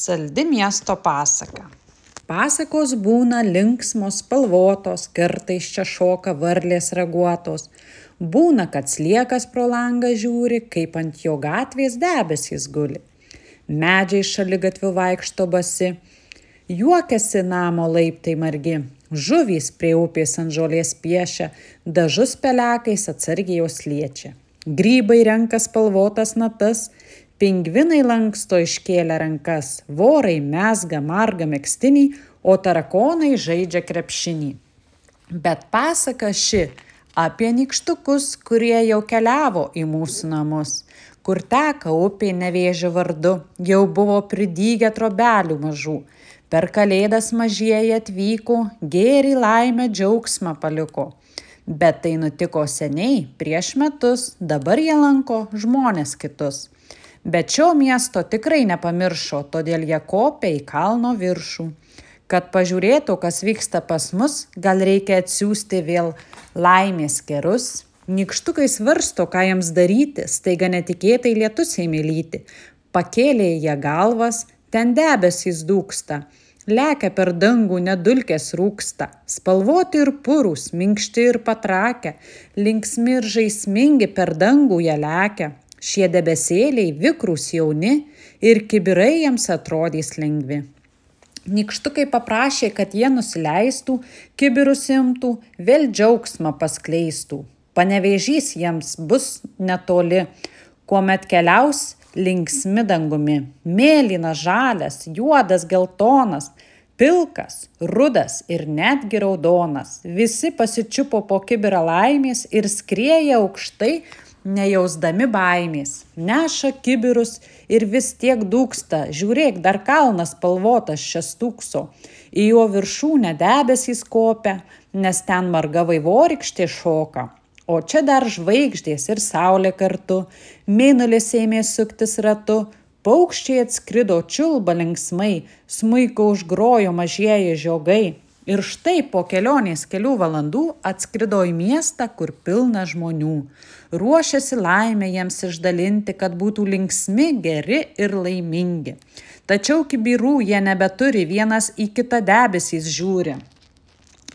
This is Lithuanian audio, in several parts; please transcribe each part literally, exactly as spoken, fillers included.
Saldi miesto pasaka. Pasakos būna linksmos, spalvotos, kartais čia šoka varlės raguotos. Būna, kad sliekas pro langą žiūri, kaip ant jo gatvės debesys guli. Medžiai šaligatviu vaikšto basi, juokiasi namo laiptai margi. Žuvys prie upės ant žolės piešia, dažus pelekais atsargiai jos liečia. Grybai renka spalvotas natas, pingvinai lanksto iškėlę rankas, vorai mezga margą megztinį, o tarakonai žaidžia krepšinį. Bet pasaka ši apie nykštukus, kurie jau keliavo į mūsų namus, kur teka upė Nevėžio vardu, jau buvo pridygę trobelių mažų. Per kalėdas mažieji atvyko, gėrį, laimę, džiaugsmą paliko. Bet tai nutiko seniai, prieš metus, dabar jie lanko žmones kitus. Bet šio miesto tikrai nepamiršo, todėl jie kopia į kalno viršų. Kad pažiūrėtų, kas vyksta pas mus, gal reikia atsiųsti vėl laimės kerus. Nykštukai svarsto, ką jiems daryti, staiga netikėtai lietus ėmė lyti. Pakėlė jie galvas, ten debesys dūksta. Lekia per dangų, nedulkės rūksta. Spalvoti ir purūs, minkšti ir patrakę. Linksmi ir žaismingi per dangų jie lekia. Šie debesėliai vikrūs jauni ir kibirai jiems atrodys lengvi. Nykštukai paprašė, kad jie nusileistų, kibirus imtų, vėl džiaugsmą paskleistų. Panevėžys jiems bus netoli, kuomet keliaus linksmi dangumi. Mėlynas, žalias, juodas, geltonas, pilkas, rudas ir netgi raudonas. Visi pasičiupo po kibirą laimės ir skrieja aukštai, nejausdami baimės. Neša kibirus ir vis tiek dūksta. Žiūrėk, dar kalnas spalvotas čia stūkso. Į jo viršūnę debesys kopia, nes ten marga vaivorykštė šoka. O čia dar žvaigždės ir saulė kartu. Mėnulis ėmė suktis ratu. Paukščiai atskrido čiulba linksmai. Smuiko užgrojo mažieji žiogai. Ir štai po kelionės kelių valandų atskrido į miestą, kur pilna žmonių. Ruošiasi laimę jiems išdalinti, kad būtų linksmi, geri ir laimingi. Tačiau kibirų jie nebeturi, vienas į kitą debesys žiūri.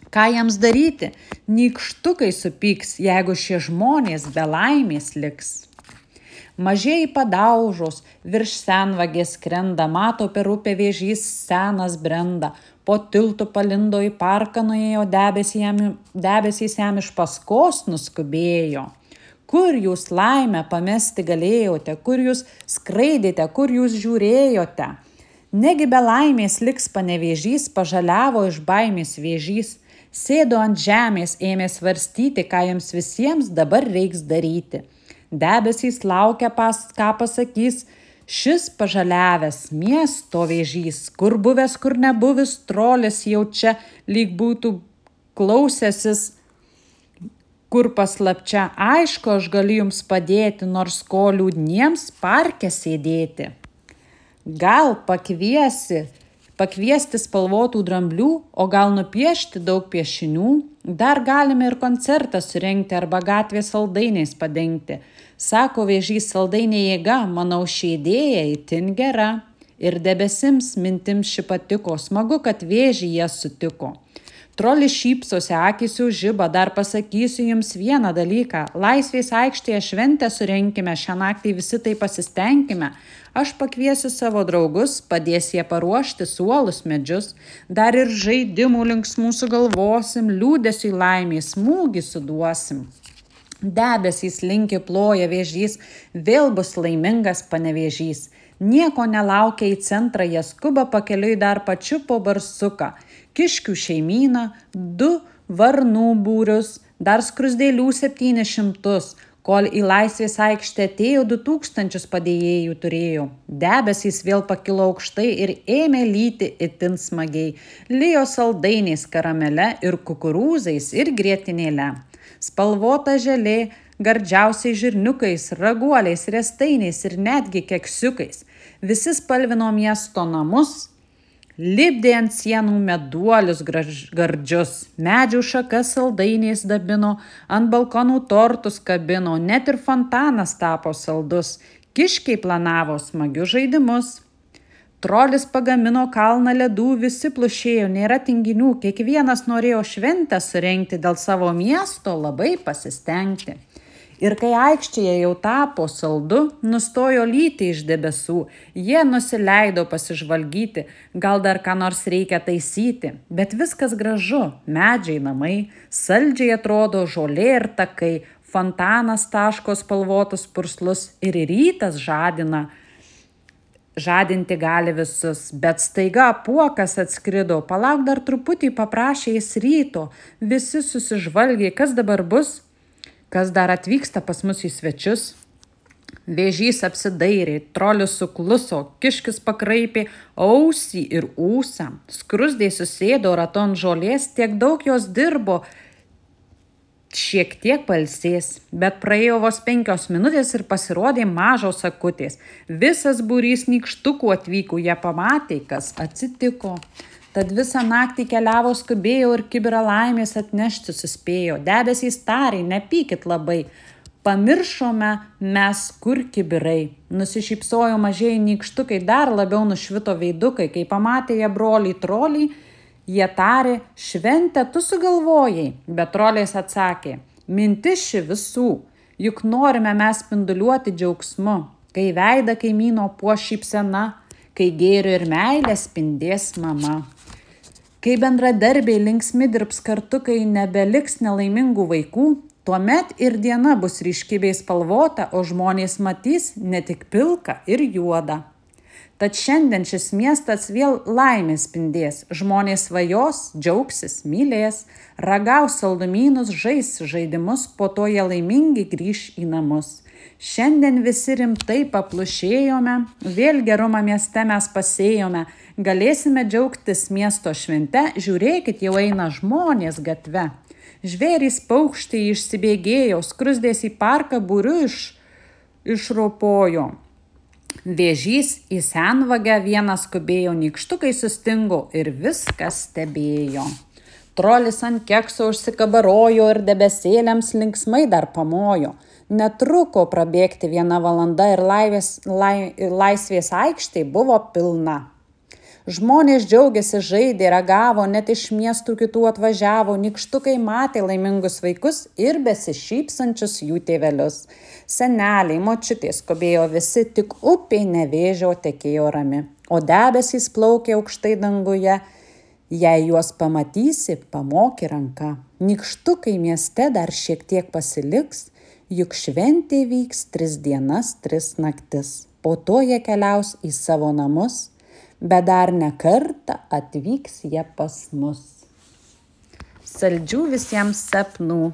Ką jiems daryti? Nykštukai supyks, jeigu šie žmonės be laimės liks. Mažieji padaužos, virš senvagės skrenda, mato per upę vėžys senas brenda. Po tiltu palindo į parką nuėjo, debesys jam iš paskos nuskubėjo. Kur jūs laimę pamesti galėjote, kur jūs skraidėte, kur jūs žiūrėjote? Negi be laimės liks Panevėžys, pažaliavo iš baimės vėžys. Sėdo ant žemės, ėmė svarstyti, ką jiems visiems dabar reiks daryti. Debesys laukia, pas, ką pasakys šis pažaliavęs miesto vėžys, kur buvęs, kur nebuvęs, trolis jau čia lyg būtų klausęsis, kur paslapčia. Aišku, aš galiu jums padėti, nors ko liūdniems parke sėdėti. Gal pakviesi, pakviesti spalvotų dramblių, o gal nupiešti daug piešinių. Dar galime ir koncertą surengti arba gatvės saldainiais padengti. Sako vėžys, saldainė jėga, manau ši idėja itin gera. Ir debesims mintims ši patiko, smagu, kad vėžį jie sutiko. Trolis šypsosi, akys jau žiba, dar pasakysiu jums vieną dalyką. Laisvės aikštėje šventę surenkime, šią naktį visi tai pasistengime. Aš pakviesiu savo draugus, padės jie paruošti suolus medžius. Dar ir žaidimų linksmų sugalvosim, liūdesiui laimės smūgį suduosim. Debesys linki ploja vėžys, vėl bus laimingas Panevėžys. Nieko nelaukia į centrą, jie skuba pakeliui dar pačiupo barsuką. Kiškių šeimyną, du varnų būrius, dar skruzdėlių septynis šimtus, kol į laisvės aikštę atėjo du tūkstančius padėjėjų turėjo. Debesys vėl pakilo aukštai ir ėmė lyti itin smagiai. Lijo saldainiais karamele ir kukurūzais ir grietinėle. Spalvota želė, gardžiausiai žirniukais, raguoliais, riestainiais ir netgi keksiukais. Visi spalvino miesto namus, lipdė ant sienų meduolius gardžius, medžių šakas saldainiais dabino, ant balkonų tortus kabino, net ir fontanas tapo saldus, kiškiai planavo smagius žaidimus. Trolis pagamino kalną ledų, visi plušėjo, nėra tinginių, kiekvienas norėjo šventę surengti dėl savo miesto, labai pasistengti. Ir kai aikštėje jau tapo saldu, nustojo lyti iš debesų, jie nusileido pasižvalgyti, gal dar ką nors reikia taisyti, bet viskas gražu, medžiai namai, saldžiai atrodo žolė ir takai, fontanas taško spalvotus purslus ir rytas žadina. Žadinti gali visus, bet staiga apuokas atskrido, palauk dar truputį, paprašė jis ryto, visi susižvalgė, kas dabar bus, kas dar atvyksta pas mus į svečius. Vėžys apsidairė, trolis sukluso, kiškis pakraipė ausį ir ūsą, skruzdė susėdo raton žolės, tiek daug jos dirbo, šiek tiek pailsės, bet praėjo vos penkios minutės ir pasirodė mažos akutės. Visas būrys nykštukų atvyko, jie pamatė, kas atsitiko. Tad visą naktį keliavo, skubėjo ir kibirą laimės atnešti suspėjo. Debesys tarė, nepykit labai, pamiršome mes kur kibirai. Nusišypsojo mažieji nykštukai, dar labiau nušvito veidukai, kai pamatė jie broliai troliai, jie tarė, šventę tu sugalvojai, bet troliais atsakė, mintis ši visų, juk norime mes spinduliuoti džiaugsmu, kai veidą kaimyno puoš šypsena, kai gėrio ir meilė spindės mama. Kai bendradarbiai linksmi dirbs kartu, kai nebeliks nelaimingų vaikų, tuomet ir diena bus ryški bei spalvota, o žmonės matys ne tik pilką ir juodą. Tad šiandien šis miestas vėl laimės spindės, žmonės svajos, džiaugsis, mylės, ragaus saldumynus, žais žaidimus, po to jie laimingi grįš į namus. Šiandien visi rimtai paplušėjome, vėl gerumą mieste mes pasėjome, galėsime džiaugtis miesto švente, žiūrėkit, jau eina žmonės gatve. Žvėrys paukščiai išsibėgėjo, skruzdės į parką būriu iš, išropojo. Vėžys į senvagę vienas skubėjo, nykštukai sustingo ir viskas stebėjo. Trolis ant kekso užsikabarojo ir debesėliams linksmai dar pamojo. Netruko prabėgti viena valanda ir laivės, lai, laisvės aikštė buvo pilna. Žmonės džiaugiasi, žaidė, ragavo, net iš miestų kitų atvažiavo, nykštukai matė laimingus vaikus ir besišypsančius jų tėvelius. Seneliai, močiutės skubėjo visi, tik upė Nevėžio tekėjo rami, o debesys plaukė aukštai danguje. Jei juos pamatysi, pamoki ranka. Nykštukai mieste dar šiek tiek pasiliks, juk šventė vyks tris dienas, tris naktis. Po to jie keliaus į savo namus, bet dar ne kartą atvyks jie pas mus. Saldžių visiems sapnų.